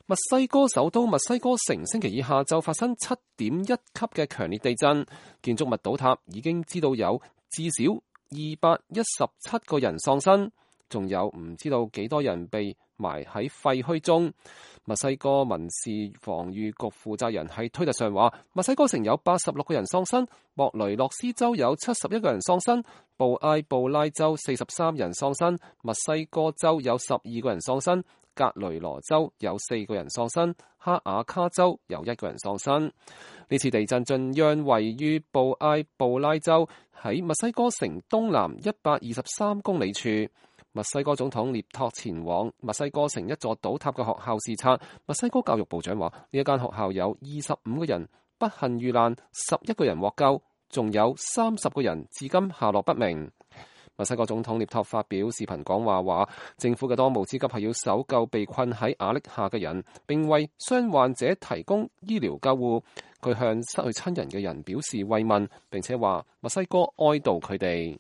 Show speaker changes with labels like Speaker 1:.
Speaker 1: 墨西哥首都墨西哥城星期二下晝發生7.1級嘅強烈地震，建築物倒塌，已經知道有至少217個人喪生，仲有唔知道幾多人被埋喺廢墟中。墨西哥民事防禦局負責人喺推特上話，墨西哥城有86個人喪生，莫雷諾斯州有71個人喪生，布埃布拉州43人喪生，墨西哥州有12個人喪生，格雷羅州有4個人喪生，哈瓦卡州有1個人喪生。呢次地震震央位於布埃布拉州，喺墨西哥城東南123公里處。墨西哥總統涅托前往墨西哥城一座倒塌嘅學校視察。墨西哥教育部長話，呢一間學校有25個人不幸遇難，11個人獲救，仲有30個人至今下落不明。墨西哥總統涅托發表視頻講話，話政府嘅當務之急係要搜救被困喺瓦礫下嘅人，並為傷患者提供醫療救護。佢向失去親人嘅人表示慰問，並且話墨西哥哀悼佢哋。